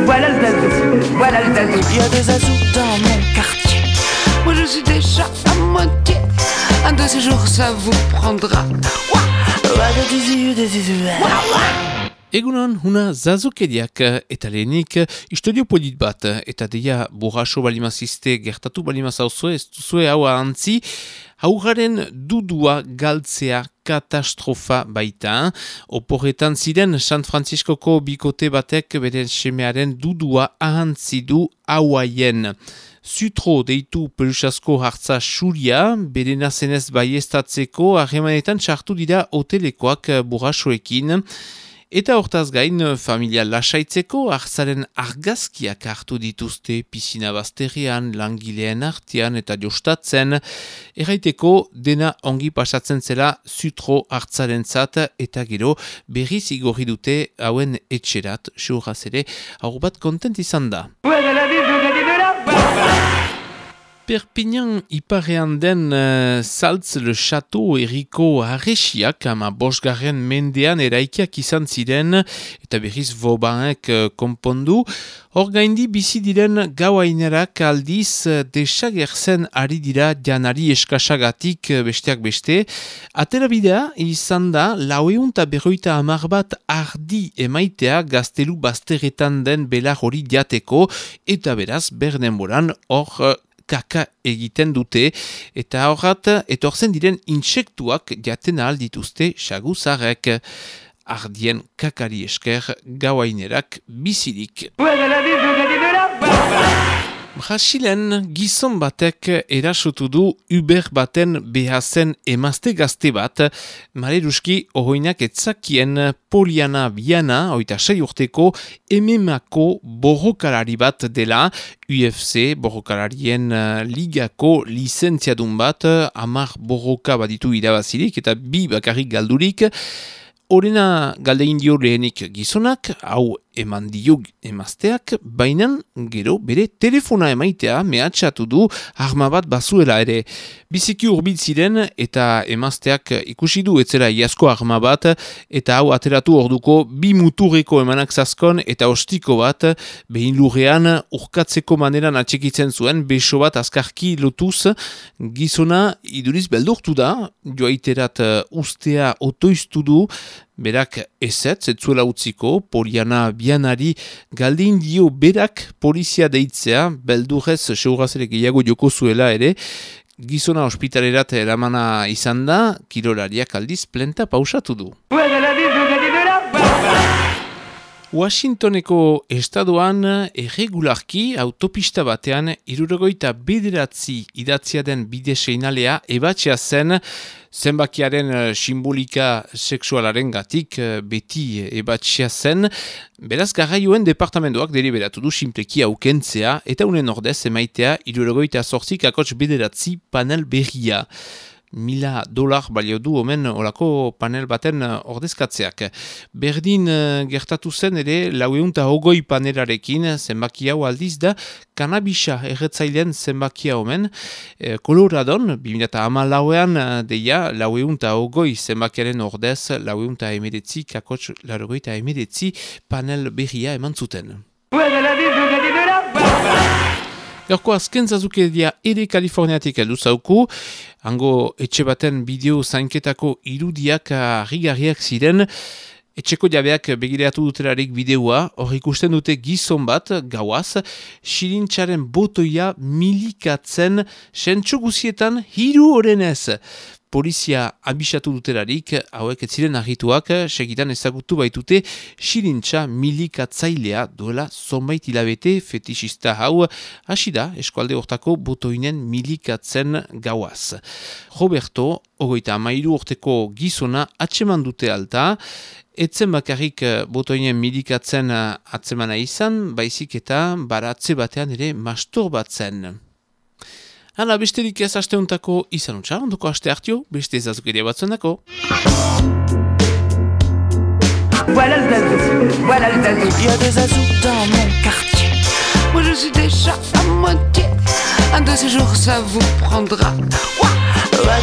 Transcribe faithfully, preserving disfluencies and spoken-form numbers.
voilà le zazou, voilà le zazou. Il y a des zazous dans mon quartier. Moi je suis déjà à moitié. Un de ces jours ça vous prendra. Egunon, huna zazukeriak eta lehenik istorio polit bat eta deia borraso balimazizte gertatu balimazauzue, ez duzue hau ahantzi, haugaren dudua galtzea katastrofa baita. Oporretan ziren San Franciscoko bikote batek bere semearen dudua ahantzi du hauaien. Zutro deitu pelusasko hartza xuria, bere nazenez baiestatzeko harremanetan sartu dira hotelekoak borrasoekin. Eta hortaz gain, familia lasaitzeko hartzaren argazkiak hartu dituzte pisina bazterrean, langileen artean eta jostatzen. Erraiteko dena ongi pasatzen zela zutro hartzaren zat eta gero berriz igorri dute hauen etxerat, seuraz ere, hau bat kontent izan da. Perpignan iparean den uh, Saltz le Chateau erriko harresiak ama bosgarren mendean eraikiak izan ziren eta berriz Vaubanek uh, konpondu. Hor gaindi bizi diren gauainerak aldiz uh, desagertzen ari dira janari eskasagatik uh, besteak beste. Aterabidea izan da laueun eta berroita hamar bat ardi emaitea gaztelu bazterretan den belar hori jateko eta beraz berdenboran hor uh, kaka egiten dute, eta horrat etortzen diren intsektuak jaten ahal dituzte saguzarrek. Ardien kakari esker gauainerak bizirik. Brasilen gizon batek erasotu du Uber baten behazen emazte gazte bat, maleruski ohoinak etzakien Poliana Biana, oita sei urteko, M M A-ko borrokalari bat dela, U F C borrokalarien ligako lizentziadun bat, hamar borroka baditu irabazirik eta bi bakarrik galdurik. Horena galdein dio lehenik gizonak, hau eman dio emazteak, bainan gero bere telefona emaitea mehatxatu du arma bat bazuela ere. Biziki hurbil ziren eta emazteak ikusi du etzera iazko arma bat eta hau ateratu orduko bi muturreko emanak zazkon eta ostiko bat behin lurrean urkatzeko maneran atxekitzen zuen beso bat azkarki lotuz. Gizona iduriz beldurtu da, joaiterat ustea otoiztu du, berak ezetz, etzuela utziko, Poliana Bianari galdin dio berak polizia deitzea, beldurrez seurazere gehiago joko zuela ere, gizona ospitalerat eramana izan da, kirolariak aldiz plenta pausatu du. Washingtoneko estadoan erregularki autopista batean hirurogeita bederatzi idatzia den bide seinalea ebatzea zen zenbakiaren simbolika sexualaren gatik beti ebatzea zen. Beraz garraioen departamentoak deliberatu du simpleki aukentzea eta unen ordez emaitea hirurogeita zortzi kakots bederatzi panel berria. Mila dolar balio du omen olako panel baten ordezkatzeak. Berdin gertatu zen ere laueunta hogoi panelarekin zenbaki hau aldiz da kanabisa erretzailean zenbakia omen. E, Koloradon, bi mila hamalauean deia laueunta hogoi zenbakiaren ordez laueunta emeretzi kakots larogeita emeretzi panel berria eman zuten. Gaurko azken zazukeria ere Kaliforniatik heldu zauku, hango etxe baten bideo zainketako irudiak harrigarriak ziren, etxeko jabeak begireatu dutelarik bideoa, hor ikusten dute gizon bat, gauaz, xilintxaren botoia milikatzen sentsu guzietan hiru orenez. Polizia abisatu dutelarik, hauek ez ziren argituak, segitan ezagutu baitute xilintxa milikatzailea duela zonbait hilabete fetixista hau, hasi da eskualde hortako botoinen milikatzen gauaz. Roberto, ogoita amairu urteko gizona atseman dute alta, etzen bakarrik botoinen milikatzen atzemana izan, baizik eta baratze batean ere masturbatzen. Hala, besterik ez asteuntako izan utxa, ondoko aste hartio, beste zazukeria batzen dako. Voilà le zazou, voilà le zazou. Il y a des zazous dans mon quartier. Moi je suis déjà à moitié. Un de ces jours ça vous prendra. Ouah, ouah,